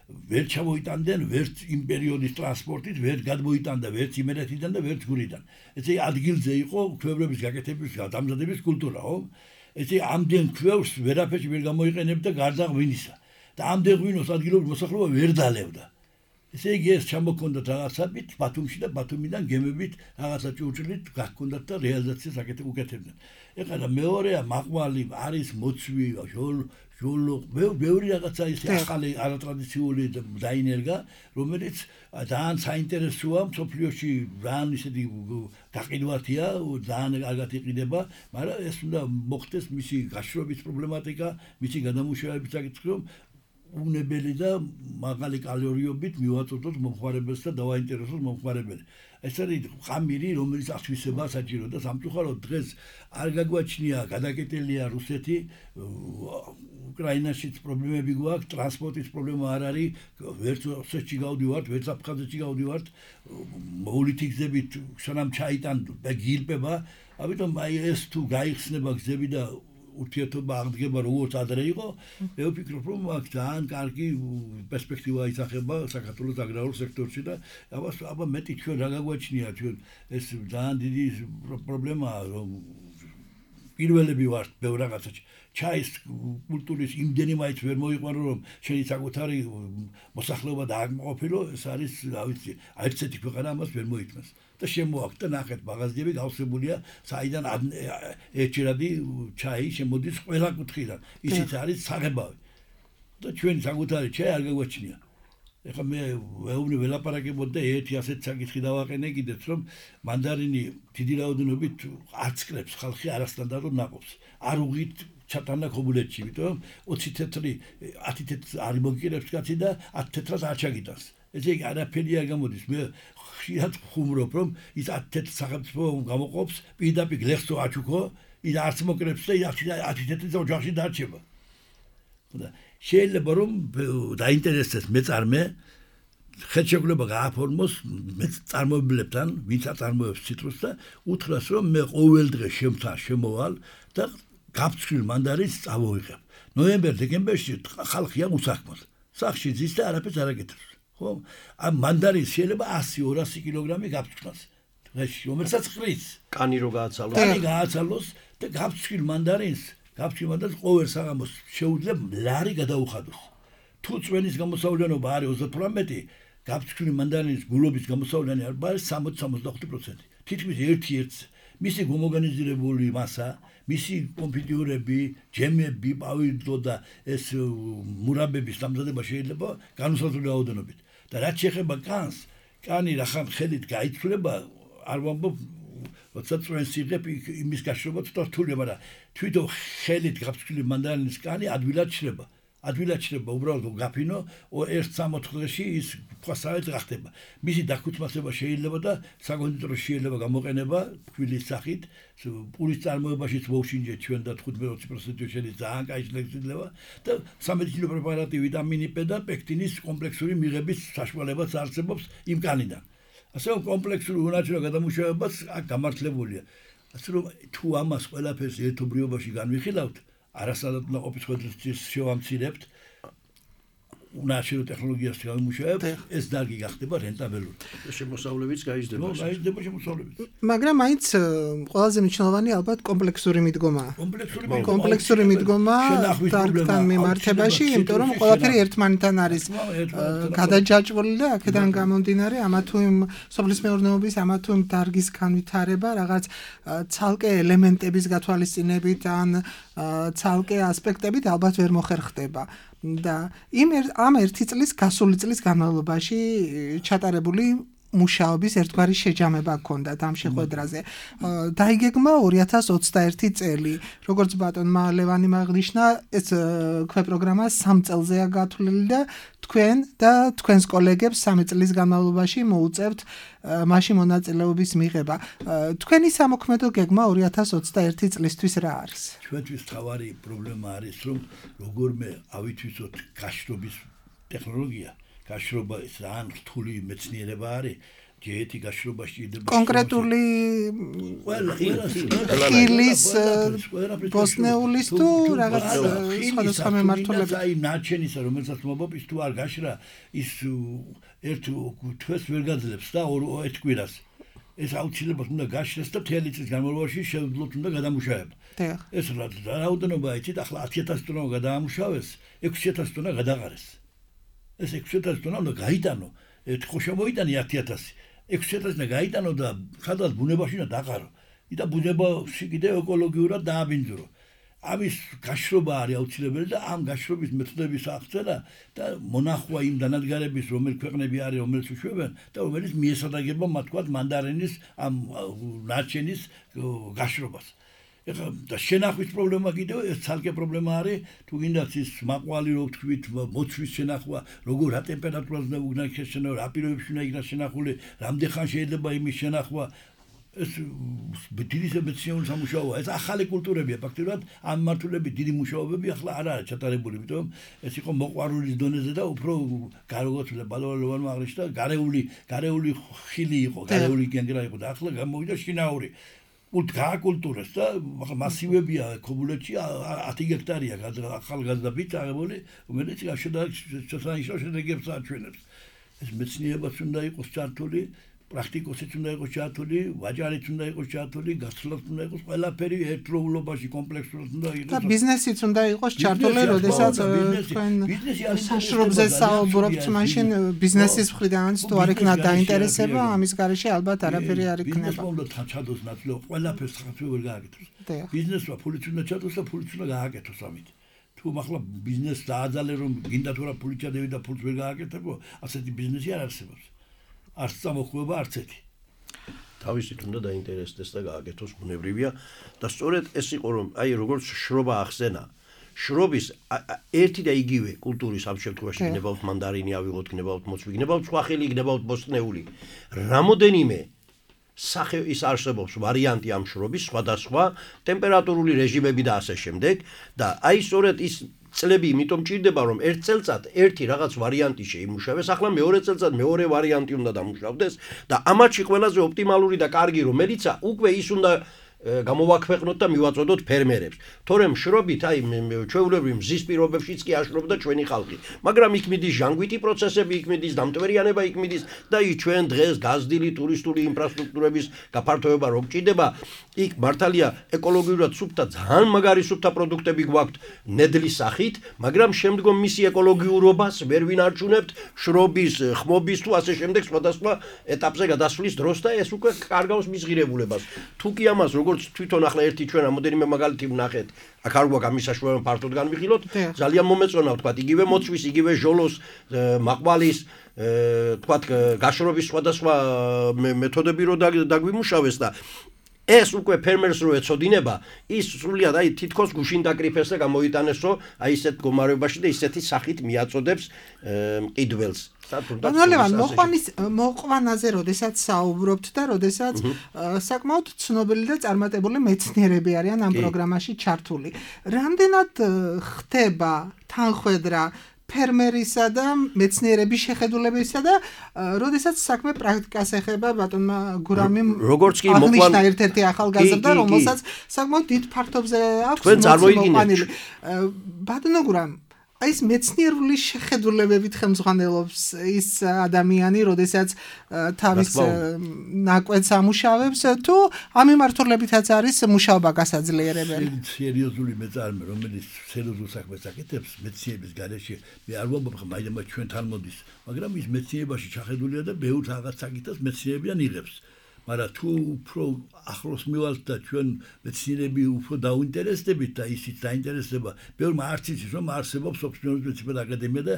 ვერ ჩამოიტანდნენ ვერც იმ პერიოდის ტრანსპორტით, ვერ გადმოიტანდა ვერც იმერეთიდან და ვერც გურიდან. ესე ადგილზე იყო ქვევრების გაკეთების და დამზადების კულტურა, ხო? ესე ამდენ ქვევრს ვერაფერში ვერ გამოიყენებდა გარდა ღვინისა. და ამდენ ღვინოს ადგილობრივი მოსახლეობა ვერ დალევდა. ესე იგი ეს ჩამოქონდათ რაღაცებით ბათუმში და ბათუმიდან გემებით რაღაცა ჭურჭლით გაქონდათ და რეალიზაციას უკეთებდნენ. ეხლა მეორეა მაყვალი არის მოცვი, ჟოლო, ბევრი რაღაცა ის ახალი არატრადიციული დაინერგა, რომელიც ძალიან საინტერესოა მსოფლიოში, ძალიან ისეთი გაყიდვათია, ძალიან კარგად იყიდება, მაგრამ ეს უნდა მოხდეს მისი გაშრობის პრობლემატიკა, მისი გადამუშავების საკითხი, რომ უნებელი და მაღალი კალორიობით მივაწოდოთ მომხმარებელს და დავაინტერესოთ მომხმარებელი. ეს არის ხამირი, რომელიც ასვისება საჭირო და სამწუხაროდ დღეს არ გაგვაჩნია გადაკეტილია რუსეთი უკრაინაშიც პრობლემები გვაქვს, ტრანსპორტის პრობლემა არ არის, ვერც ოსეთში გავდივართ, ვერც აფხაზეთში გავდივართ, მოვლითი გზებით სანამ ჩაიტან გილპება, ამიტომ აი ეს თუ გაიხსნება გზები და ურთიერთობა აღდგება როგორც ადრე იყო, მე ვფიქრობ, რომ აქ ძალიან კარგი პერსპექტივა ისახება საქართველოს აგრარულ სექტორში და აბა მეტი ჩვენ რა გაგვაჩნია, ჩვენ ეს ძალიან დიდი პრობლემაა, რომ პირველები ვართ ბევრ რაღაცაში. ჩაის კულტურის იმდენი მაინც ვერ მოიყვანო, რომ შენი საკუთარი მოსახლეობა დააკმაყოფილო, ეს არის, რა ვიცი, აერთეთი ქვეყანა ამას ვერ მოითმას. და შემოაქვს და ნახეთ მაღაზიები გავსებულია, საიდან ერთჯერადი ჩაი შემოდის ყველა კუთხიდან. ისიც არის საღებავი. და ჩვენი საკუთარი ჩაი არ გაგვაჩნია. ეხლა მე ვეუბნი ველაპარაკებოდ და ერთი ასეთ საკითხი დავაყენე კიდეც, რომ მანდარინი დიდი რაოდენობით არცკლებს ხალხი არასტანდარტულ ნაყოფს. არ უღით ჩატანა ქობულეთში, იმიტომ 20 თეთრი 10 თეთრს არ მოგიყირებს კაცი და 10 თეთრას არ ჩაგიტანს. ესე იგი არაფერი არ გამოდის. მე ხშირად ხუმრობ, რომ ის 10 თეთრ სახელმწიფო გამოყოფს, პირდაპირ გლეხსო აჩუქო, ის არც მოკრებს და 10 თეთრი ოჯახში დარჩება. და შეიძლება რომ დაინტერესდეს მეწარმე ხელშეკრულება გააფორმოს მეწარმოებლებთან, ვინც აწარმოებს ციტრუსს და უთხრას, რომ მე ყოველ დღე შემთან შემოვალ და გაფრთხილ მანდარინს წავოიღებ. ნოემბერ-დეკემბერში ხალხია უსაქმოდ. სახში ზის და არაფერს არ აკეთებს. ხო? ამ მანდარინს შეიძლება 100-200 კილოგრამი გაფრთხილოს. დღეში, რომელსაც ხრის. კანი რო გააცალოს. კანი გააცალოს და გაფრთხილ მანდარინს ყოველ საღამოს შეუძლებ ლარი გადაუხადოს. თუ წვენის გამოსავლენობა არის 38, გაფრთხილი მანდარინის გულობის გამოსავლენი არის 60-65%. თითქმის ერთ-ერთს მისი გომოგანიზირებული მასა, მისი კონფიტიურები, ჯემები, პავიდო და ეს მურაბების დამზადება შეიძლება განუსაზღვრელი რაოდენობით. და რაც შეეხება კანს, კანი რახან ხელით გაიცვლება, არ ვამბობ როცა წვენს იღებ იმის გაშრობა ცოტა რთულია, მაგრამ თვითონ ხელით გაფრთხილი მანდარინის კანი ადვილად შრება. უბრალოდ გაფინო, ერთ 3-4 დღეში ის ფასად გახდება. მისი დაქუთმასება შეიძლება და საკონდიტრო შეიძლება გამოყენება ქვილის სახით, პურის წარმოებაშიც მოუშინჯეთ ჩვენ და 15-20% შეიძლება ძალიან კაი შეგიძლება და სამედიცინო პრეპარატი ვიტამინი P და პექტინის კომპლექსური მიღების საშუალებაც არსებობს იმ კანიდან. ასე რომ კომპლექსური უნაჩვენო გადამუშავებაც აქ გამართლებულია. ასე რომ თუ ამას ყველაფერს ერთობლიობაში განვიხილავთ, არასადად ნაყოფის ხვედრის შევამცირებთ, უნაჩვენო ტექნოლოგიას გამომუშავებთ, ეს დარგი გახდება რენტაბელური. შემოსავლებიც გაიზრდება. გაიზრდება შემოსავლებით. მაგრამ მაინც ყველაზე მნიშვნელოვანი ალბათ კომპლექსური მიდგომაა. კომპლექსური მიდგომა დარგთან მიმართებაში, იმიტომ რომ ყველაფერი ერთმანეთთან არის გადაჯაჭვული და აქედან გამომდინარე, ამა თუ იმ სოფლის მეურნეობის, ამა თუ იმ დარგის განვითარება, რაღაც ცალკე ელემენტების გათვალისწინებით ან ცალკე ასპექტებით ალბათ ვერ მოხერხდება. და ამ ერთი წლის გასული წლის განმავლობაში ჩატარებული მუშაობის ერთგვარი შეჯამება ჰქონდათ ამ შეხვედრაზე. დაიგეგმა 2021 წელი. როგორც ბატონმა ლევანიმ აღნიშნა, ეს ქვეპროგრამა 3 წელზეა გათვლილი და თქვენ და თქვენს კოლეგებს 3 წლის განმავლობაში მოუწევთ მასში მონაწილეობის მიღება. თქვენი სამოქმედო გეგმა 2021 წლისთვის რა არის? ჩვენთვის თავარი პრობლემა არის, რომ როგორმე ავითვისოთ გაშრობის ტექნოლოგია, გაშრობა ის ძალიან რთული მეცნიერება არის. ჯეეთი გაშრობაში იდება კონკრეტული ხილის ბოსნეულის თუ რაღაც სხვადასხვა მემართულებით. აი ნაჩენისა, რომელსაც მობობს თუ არ გაშრა, ის ერთ თვეს ვერ გაძლებს და ერთ კვირას. ეს აუცილებლად უნდა გაშრეს და მთელი წლის განმავლობაში შეუძლოთ უნდა გადამუშავება. ეს რაოდენობა იცით, ახლა 10000 ტონა გადაამუშავეს, 6000 ტონა გადაყარეს. ეს 6000 ტონა უნდა გაიტანო. ხო შემოიტანი 10000. 6000 და გაიტანო და სადღაც ბუნებაში უნდა დაყარო. და ბუნებაში კიდევ ეკოლოგიურად დააბინძურო. ამის გაშრობა არის აუცილებელი და ამ გაშრობის მეთოდების აღწერა და მონახვა იმ დანადგარების, რომელი ქვეყნები არის, რომელიც უშვებენ და რომელიც მიესადაგება მათ თქვა მანდარინის ამ ნარჩენის გაშრობას. ეხლა და შენახვის პრობლემა კიდევ ეს ცალკე პრობლემა არის, თუ გინდათ ის მაყვალი რო ვთქვით, მოცვის შენახვა, როგორ რა ტემპერატურაზე უნდა იქნას შენახვა, რა პირობებში უნდა იქნას შენახული, რამდენ ხანს შეიძლება იმის შენახვა. ეს დიდი მეცნიერული სამუშაოა, ეს ახალი კულტურებია, ფაქტობრივად ამ მართულები დიდი მუშაობები ახლა არ არის ჩატარებული, იმიტომ ეს იყო მოყვარულის დონეზე და უფრო გარეგოთ ბალვალოვანმა აღნიშნა, გარეული ხილი იყო, გარეული გენგრა იყო და ახლა გამოვიდა შინაური კულტურას და მასივებია ქობულეთში 10 ჰექტარია ახალგაზრდობით აღებული, რომელიც შესანიშნავ შედეგებს აჩვენებს. ეს მეცნიერებაც უნდა იყოს ჩართული, პრაქტიკოსიც უნდა იყოს ჩართული, ვაჭარიც უნდა იყოს ჩართული, გასცლაც უნდა იყოს, ყველაფერი ერთდროულობაში კომპლექსურად უნდა იყოს. და ბიზნესიც უნდა იყოს ჩართული, როდესაც თქვენ საშრობზე საუბრობთ, მაშინ ბიზნესის მხრიდანაც თუ არ იქნა დაინტერესება, ამის გარეშე ალბათ არაფერი არ იქნება. ბიზნესმა უნდა ჩადოს ნაწილობრივ, ყველაფერს ხალხი ვერ გააკეთოს. ბიზნესმა ფულიც უნდა ჩადოს და ფულიც უნდა გააკეთოს ამით. თუ ახლა ბიზნესს დააძალე რომ გინდა თუ რა ფული ჩადები და ფულს ვერ გააკეთებო, ასეთი ბიზნესი არ არსებობს. არც წამოხვება არც ერთი. თავისით უნდა დაინტერესდეს და გააკეთოს ბუნებრივია და სწორედ ეს იყო რომ აი როგორც შრობა ახსენა. შრობის ერთი და იგივე კულტურის ამ შემთხვევაში გნებავთ მანდარინი ავიღოთ, გნებავთ მოცვი, გნებავთ სხვა ხილი, გნებავთ ბოსტნეული. რამოდენიმე სახე ის არსებობს ვარიანტი ამ შრობის, სხვადასხვა ტემპერატურული რეჟიმები და ასე შემდეგ და აი სწორედ ის წლები იმიტომ ჭირდება რომ ერთ წელწად ერთი რაღაც ვარიანტი შეიმუშავეს, ახლა მეორე წელწად მეორე ვარიანტი უნდა დამუშავდეს და ამაში ყველაზე ოპტიმალური და კარგი რომელიცაა, უკვე ის უნდა გამოვაქვეყნოთ და მივაწოდოთ ფერმერებს. თორემ შრობით აი ჩვეულებრივ მზის პირობებშიც კი აშრობდა ჩვენი ხალხი. მაგრამ იქ მიდის ჟანგვითი პროცესები, იქ მიდის დამტვერიანება, იქ მიდის და იქ ჩვენ დღეს გაზრდილი ტურისტული ინფრასტრუქტურების გაფართოება რო გჭირდება, იქ მართალია ეკოლოგიურად სუფთა ძალიან მაგარი სუფთა პროდუქტები გვაქვთ ნედლის სახით, მაგრამ შემდგომ მისი ეკოლოგიურობას ვერ ვინარჩუნებთ შრობის, ხმობის თუ ასე შემდეგ სხვადასხვა ეტაპზე გადასვლის დროს და ეს უკვე კარგავს მის ღირებულებას. თუ კი ამას როგორც თვითონ ახლა ერთი ჩვენ რამოდენიმე მაგალითი ვნახეთ, აქ არ გვაქვს ამის საშუალება ფართოდ განვიხილოთ, ძალიან მომეწონა ვთქვათ, იგივე მოცვის, იგივე ჟოლოს, მაყვალის, ვთქვათ, გაშრობის სხვადასხვა მეთოდები რო დაგვიმუშავეს და ეს უკვე ფერმერს რო ეცოდინება, ის სრულიად აი თითქოს გუშინ დაკრიფეს და გამოიტანეს, რომ აი ესეთ მდგომარეობაში და ისეთი სახით მიაწოდებს მყიდველს. ნოლევან მოყვანაზე როდესაც საუბრობთ და როდესაც საკმაოდ ცნობილი და წარმატებული მეცნიერები არიან ამ პროგრამაში ჩართული. რამდენად ხდება თანხვედრა ფერმერისა და მეცნიერების შეხედულებისა და როდესაც საქმე პრაქტიკას ეხება ბატონმა გურამიმ როგორც კი მოყვანა ერთ-ერთი ახალგაზრდა რომელსაც საკმაოდ დიდ ფართობზე აქვს მოყვანილი ბატონო გურამ აი ეს მეცნიერული შეხედულებებით ხელმძღვანელობს ის ადამიანი, როდესაც თავის ნაკვეთს ამუშავებს, თუ ამ მიმართულებითაც არის მუშაობა გასაძლიერებელი. სერიოზული მეწარმე, რომელიც სერიოზულ საქმეს აკეთებს მეცნიერების გარეშე, მე არ ვამბობ, მაგრამ ჩვენ თან მოდის, მაგრამ ის მეცნიერებაში ჩახედულია და ბევრ რაღაც საკითხს მეცნიერებიდან იღებს. მაგრამ თუ უფრო ახლოს მივალთ და ჩვენ მეცნიერები უფრო დაუინტერესდებით და ისიც დაინტერესდება, ბევრმა არც იცის რომ არსებობს ოფიციალური მეცნიერებათა აკადემია და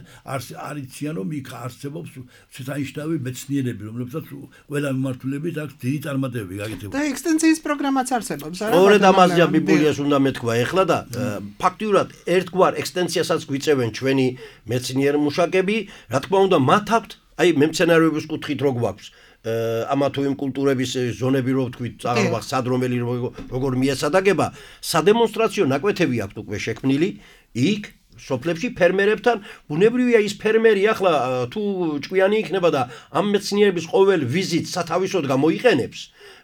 არ იციან რომ იქ არსებობს შესანიშნავი მეცნიერები, რომლებსაც ყველა მიმართულებით აქვს დიდი წარმატებები გაკეთებული. და ექსტენსიის პროგრამაც არსებობს, არა? სწორედ ამაზეა ბიბლიას უნდა მეთქვა ეხლა და ფაქტიურად ერთგვარ ექსტენსიასაც გვიწევენ ჩვენი მეცნიერ მუშაკები, რა თქმა უნდა მათ აქვთ აი მემცენარეობის კუთხით რო გვაქვს ამა თუ იმ კულტურების ზონები რო ვთქვით, წაღრობა სად რომელი როგორ მიესადაგება, სადემონსტრაციო ნაკვეთები აქვთ უკვე შექმნილი, იქ სოფლებში ფერმერებთან, ბუნებრივია ის ფერმერი ახლა თუ ჭკვიანი იქნება და ამ მეცნიერების ყოველ ვიზიტს სათავისოდ გამოიყენებს,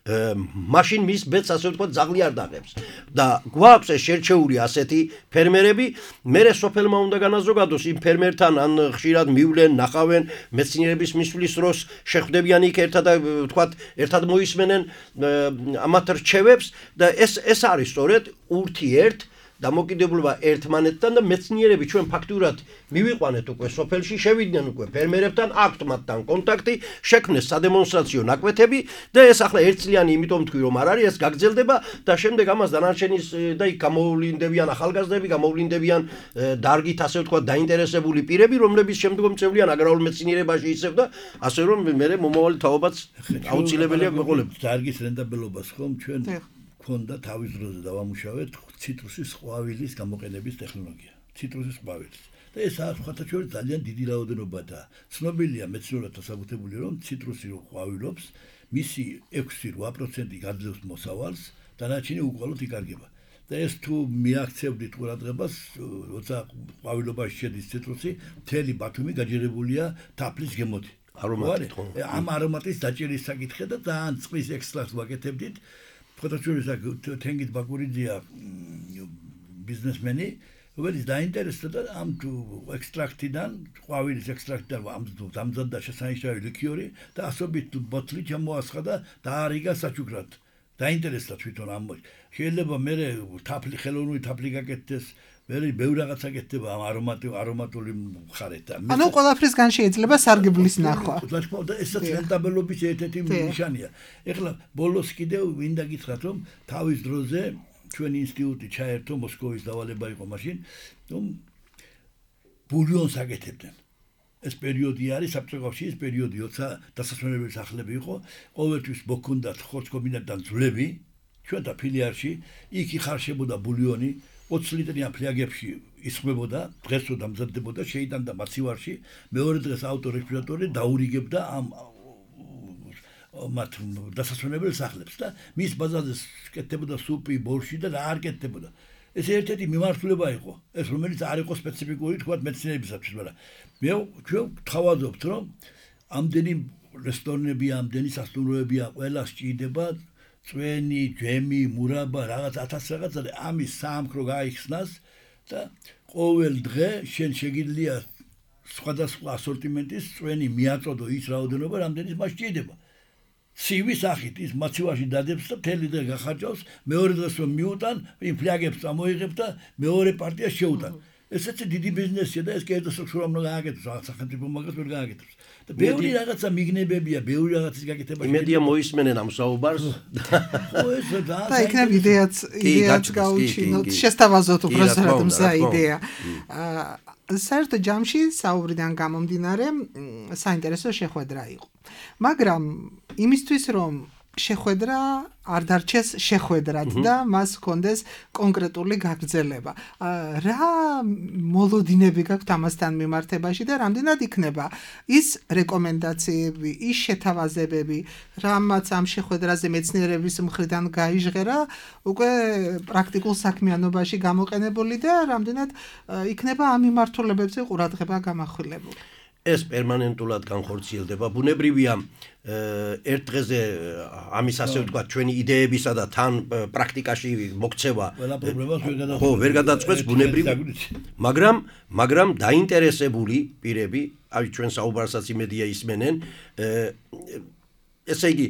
მაშინ მის ბედს ასე ვთქვათ ძაღლი არ დაღებს და გვაქვს ეს შერჩეული ასეთი ფერმერები, მერე სოფელმა უნდა განაზოგადოს იმ ფერმერთან ან ხშირად მივლენ, ნახავენ მეცნიერების მისვლის დროს შეხვდებიან იქ ერთად ვთქვათ, ერთად მოისმენენ ამათ რჩევებს და ეს არის სწორედ ურთიერთ დამოკიდებულება ერთმანეთთან და მეცნიერები ჩვენ ფაქტურად მივიყვანეთ უკვე სოფელში, შევიდნენ უკვე ფერმერებთან, აქვთ მათთან კონტაქტი, შექმნეს სადემონსტრაციო ნაკვეთები და ეს ახლა ერთწლიანი, იმიტომ თქვი რომ არ არის, ეს გაგრძელდება და შემდეგ ამას დანარჩენის და იქ გამოვლინდებიან ახალგაზრდები, გამოვლინდებიან დარგით ასე ვთქვათ დაინტერესებული პირები, რომლებიც შემდგომ წევლიან აგრარულ მეცნიერებაში ისევ და ასე რომ მე მომავალი თაობაც აუცილებელია გვეყოლებთ. დარგის რენტაბელობას ხომ ჩვენ ქონდა თავის დროზე დავამუშავეთ ციტრუსის ყვავილის გამოყენების ტექნოლოგია. ციტრუსის ყვავილის. და ეს ახალ ძალიან დიდი რაოდენობა და ცნობილია მეცნიერებთან საკუთებული რომ ციტრუსი რო ყვავილობს, მისი 6-8% გაძლევს მოსავალს, დანარჩენი უყოლოდ იკარგება. და ეს თუ მიაქცევდით ყურადღებას, როცა ყვავილობაში შედის ციტრუსი, მთელი ბათუმი გაჯერებულია თაფლის გემოთი. არომატით ხო? ამ არომატის დაჭერის საკითხი და ძალიან წყლის ექსტრაქტს ვაკეთებდით. ფოტოჩურის თენგით ბაკურიძეა ბიზნესმენი, რომელიც დაინტერესდა და ამ ექსტრაქტიდან, ყვავილის ექსტრაქტიდან დამზადდა შესანიშნავი ლიქიორი და ასობით ბოთლი ჩამოასხა და დაარიგა საჩუქრად. დაინტერესდა თვითონ ამ შეიძლება მე ხელოვნური თაფლი გაკეთდეს, მე ბევრ რაღაცა გაკეთდება ამ არომატული მხარეთ. ანუ ყველაფრისგან შეიძლება სარგებლის ნახვა. და ესაც რენტაბელობის ერთ-ერთი ნიშანია. ეხლა ბოლოს კიდევ მინდა გითხრათ, რომ თავის დროზე ჩვენი ინსტიტუტი ჩაერთო მოსკოვის დავალება იყო მაშინ, რომ ბულიონს აკეთებდნენ. ეს პერიოდი არის საბჭოთა კავშირის პერიოდი, როცა დასასვენებელი სახლები იყო, ყოველთვის მოქონდათ ხორცკომბინატიდან ძვლები, ჩვენთა ფილიალში, იქ იხარშებოდა ბულიონი, 20 ლიტრიან ფლიაგებში ისხმებოდა, დღესო დამზადდებოდა, შეიტანდა მაცივარში, მეორე დღეს ავტორესპირატორი დაურიგებდა ამ მათ დასასვენებელ სახლებს და მის ბაზაზე კეთდებოდა სუპი, ბორში და რა არ კეთდებოდა. ეს ერთ-ერთი მიმართულება იყო, ეს რომელიც არ იყო სპეციფიკური თქვა მეცნიერებისათვის, მაგრამ მე ჩვენ ვთავაზობთ, რომ ამდენი რესტორნები, ამდენი სასტუმროებია, ყველა სჭირდება წვენი, ჯემი, მურაბა, რაღაც 1000 რაღაცა და ამის საამქრო გაიხსნას და ყოველ დღე შენ შეგიძლია სხვადასხვა ასორტიმენტის წვენი მიაწოდო ის რაოდენობა, რამდენის მას სჭირდება. ცივი სახით ის მაცივარში დადებს და მთელი დღე გახარჯავს, მეორე დღეს რომ მიუტან, იმ ფლიაგებს წამოიღებ და მეორე პარტიას შეუტან. ესეც დიდი ბიზნესია და ეს კერძო სტრუქტურამ უნდა გააკეთოს, სახელმწიფო მაგას ვერ გააკეთოს. და ბევრი რაღაცა მიგნებებია, ბევრი რაღაცის გაკეთება. იმედია მოისმენენ ამ საუბარს. ხო ეს და იქნებ იდეაც გაუჩინოთ, შესთავაზოთ უბრალოდ რა იდეა. საერთო ჯამში საუბრიდან გამომდინარე საინტერესო შეხვედრა იყო. მაგრამ იმისთვის რომ შეხვედრა არ დარჩეს შეხვედრად და მას ჰქონდეს კონკრეტული გაგრძელება. რა მოლოდინები გაქვთ ამასთან მიმართებაში და რამდენად იქნება ის რეკომენდაციები, ის შეთავაზებები, რამაც ამ შეხვედრაზე მეცნიერების მხრიდან გაიჟღერა, უკვე პრაქტიკულ საქმიანობაში გამოყენებული და რამდენად იქნება ამ მიმართულებებზე ყურადღება გამახვილებული. ეს პერმანენტულად განხორციელდება. ბუნებრივია ერთ დღეზე ამის ასე ვთქვათ ჩვენი იდეებისა და თან პრაქტიკაში მოქცევა ხო ვერ გადაწყვეტს ბუნებრივია, მაგრამ დაინტერესებული პირები, აი ჩვენ საუბარსაც იმედია ისმენენ, ესე იგი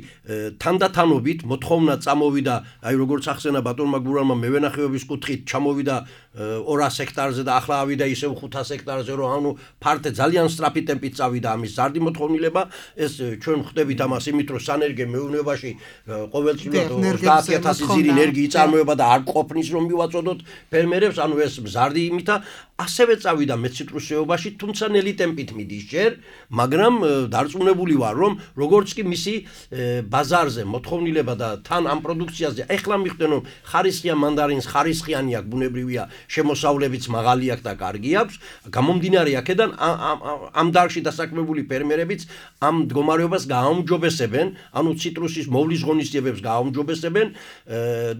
თანდათანობით მოთხოვნა წამოვიდა, აი როგორც ახსენა ბატონმა გურამმა მევენახეობის კუთხით ჩამოვიდა 200 ჰექტარზე და ახლა ავიდა ისევ 500 ჰექტარზე, რომ ანუ ფართე ძალიან სწრაფი ტემპით წავიდა ამის ზარდი მოთხოვნილება. ეს ჩვენ ხვდებით ამას იმით, რომ სანერგე მეურნეობაში ყოველწლიურად 30000 ზირი ენერგი იწარმოება და არ ყოფნის რომ მივაწოდოთ ფერმერებს, ანუ ეს ზარდი იმითა ასევე წავიდა მეციტრუსეობაში, თუმცა ნელი ტემპით მიდის ჯერ, მაგრამ დარწმუნებული ვარ, რომ როგორც კი მისი ბაზარზე მოთხოვნილება და თან ამ პროდუქციაზე ეხლა მიხდენ რომ ხარისხიან მანდარინს ხარისხიანი აქვს, ბუნებრივია შემოსავლებიც მაღალი აქვს და კარგი აქვს, გამომდინარე აქედან ამ დარგში დასაქმებული ფერმერებიც ამ მდგომარეობას გააუმჯობესებენ, ანუ ციტრუსის მოვლის ღონისძიებებს გააუმჯობესებენ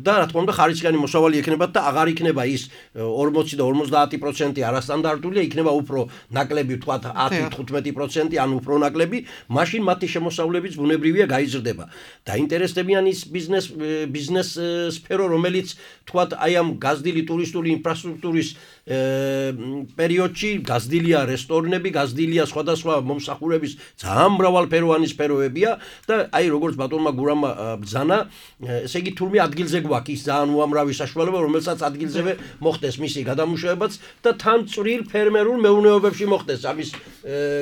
და რა თქმა უნდა ხარისხიანი მოსავალი ექნებათ და აღარ იქნება ის 40 და 50% არასტანდარტულია, იქნება უფრო ნაკლები, ვთქვათ 10-15%, ან უფრო ნაკლები, მაშინ მათი შემოსავლებიც ბუნებრივია გაიზრდება. დაინტერესდებიან ის ბიზნეს სფერო, რომელიც თქვათ აი ამ გაზრდილი ტურისტული ინფრასტრუქტურის პერიოდში გაზრდილია რესტორნები, გაზრდილია სხვადასხვა მომსახურების ძალიან მრავალფეროვანი სფეროებია და აი როგორც ბატონმა გურამმა ბრძანა, ესე იგი თურმე ადგილზე გვაქვს ის ძალიან უამრავი საშუალება, რომელსაც ადგილზევე მოხდეს მისი გადამუშავებაც და თან წვრილ ფერმერულ მეურნეობებში მოხდეს ამის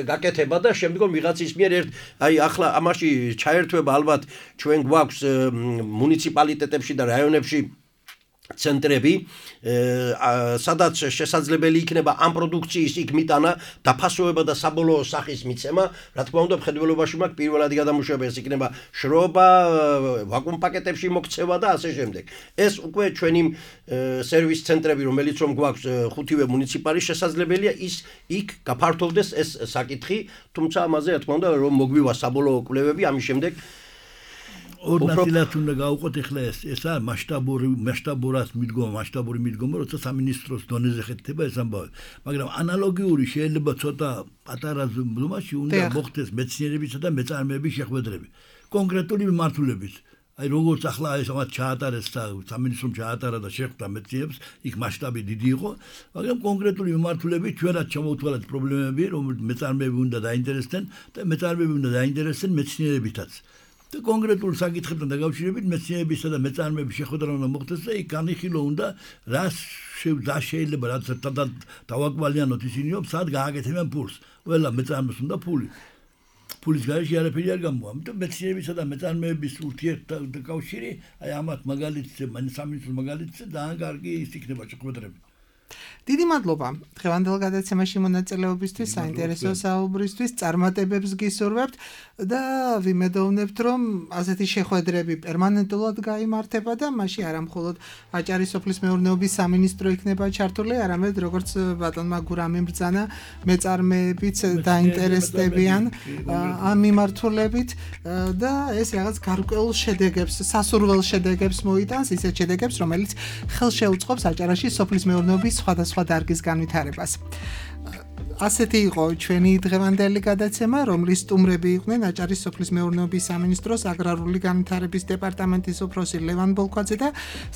გაკეთება და შემდგომ ვიღაცის მიერ აი ახლა ამაში ჩაერთვება ალბათ ჩვენ გვაქვს მუნიციპალიტეტებში და რაიონებში ცენტრები, სადაც შესაძლებელი იქნება ამ პროდუქციის იქ მიტანა, დაფასოება და საბოლოო სახის მიცემა. რა თქმა უნდა, მხედველობაში მაქვს პირველადი გადამუშავება, ეს იქნება შრობა, ვაკუუმ პაკეტებში მოქცევა და ასე შემდეგ. ეს უკვე ჩვენი სერვის ცენტრები, რომელიც რომ გვაქვს 5-ვე მუნიციპალი, შესაძლებელია ის იქ გაფართოვდეს ეს საკითხი, თუმცა ამაზე რა თქმა უნდა რომ მოგვივა საბოლოო კვლევები, ამის შემდეგ ორ ნაწილად უნდა გავუყოთ ახლა ესა მასშტაბურად მიდგომა, როცა სამინისტროს დონეზე ხეთება ეს ამბავი. მაგრამ ანალოგიური შეიძლება ცოტა პატარა ზომაში უნდა მოხდეს მეცნიერებისა და მეწარმეების შეხვედრები. კონკრეტული მიმართულებით. აი როგორც ახლა ეს ამათ ჩაატარეს და სამინისტრომ ჩაატარა და შეხვდა მეცნიერებს, იქ მასშტაბი დიდი იყო, მაგრამ კონკრეტული მიმართულებით ჩვენაც ჩამოვთვალეთ პრობლემები, რომ მეწარმეები უნდა დაინტერესდნენ და მეწარმეები უნდა დაინტერესდნენ მეცნიერებითაც. და კონკრეტულ საკითხებთან დაკავშირებით მეცნიერებისა და მეწარმეების შეხვედრა უნდა მოხდეს და იქ განიხილო უნდა რა შეიძლება რაც დავაკვალიანოთ ისინიო, სად გააკეთებენ ფულს. ყველა მეწარმეს უნდა ფული. ფულის გარეშე არაფერი არ გამოვა. ამიტომ მეცნიერებისა და მეწარმეების ურთიერთკავშირი, აი ამათ მაგალითზე, სამინისტროს მაგალითზე ძალიან კარგი ის იქნება შეხვედრები. დიდი მადლობა დღევანდელ გადაცემაში მონაწილეობისთვის, საინტერესო საუბრისთვის, წარმატებებს გისურვებთ და ვიმედოვნებთ, რომ ასეთი შეხვედრები პერმანენტულად გაიმართება და მაშინ არა მხოლოდ აჭარის სოფლის მეურნეობის სამინისტრო იქნება ჩართული, არამედ როგორც ბატონმა გურამი ბრძანა, მეწარმეებიც დაინტერესდებიან ამ მიმართულებით და ეს რაღაც გარკვეულ შედეგებს, სასურველ შედეგებს მოიტანს, ისეთ შედეგებს, რომელიც ხელშეუწყობს აჭარაში სოფლის მეურნეობის სხვადასხვა დარგის განვითარებას. ასეთი იყო ჩვენი დღევანდელი გადაცემა, რომლის სტუმრები იყვნენ აჭარის სოფლის მეურნეობის სამინისტროს აგრარული განვითარების დეპარტამენტის უფროსი ლევან ბოლქვაძე და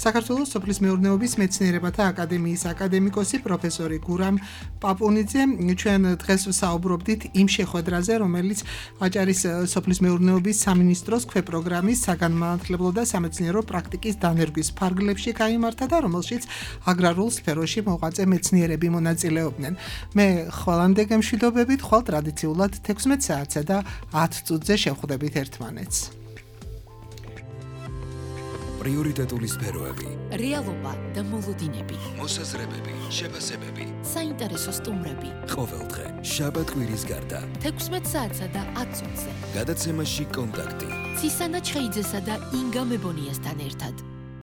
საქართველოს სოფლის მეურნეობის მეცნიერებათა აკადემიის აკადემიკოსი პროფესორი გურამ პაპუნიძე. ჩვენ დღეს საუბრობდით იმ შეხვედრაზე, რომელიც აჭარის სოფლის მეურნეობის სამინისტროს ქვეპროგრამის საგანმანათლებლო და სამეცნიერო პრაქტიკის დანერგვის ფარგლებში გაიმართა და რომელშიც აგრარულ სფეროში მოღვაწე მეცნიერები მონაწილეობდნენ. მე ხვალამდე გემშვიდობებით, ხვალ ტრადიციულად 16 საათსა და 10 წუთზე შევხვდებით ერთმანეთს. პრიორიტეტული სფეროები, რეალობა და მოლოდინები, მოსაზრებები, შეფასებები, საინტერესო სტუმრები. ყოველდღე, შაბათ-კვირის გარდა. 16 საათსა და 10 წუთზე. გადაცემაში კონტაქტი. ცისანა ჩხეიძესა და ინგა მებონიასთან ერთად.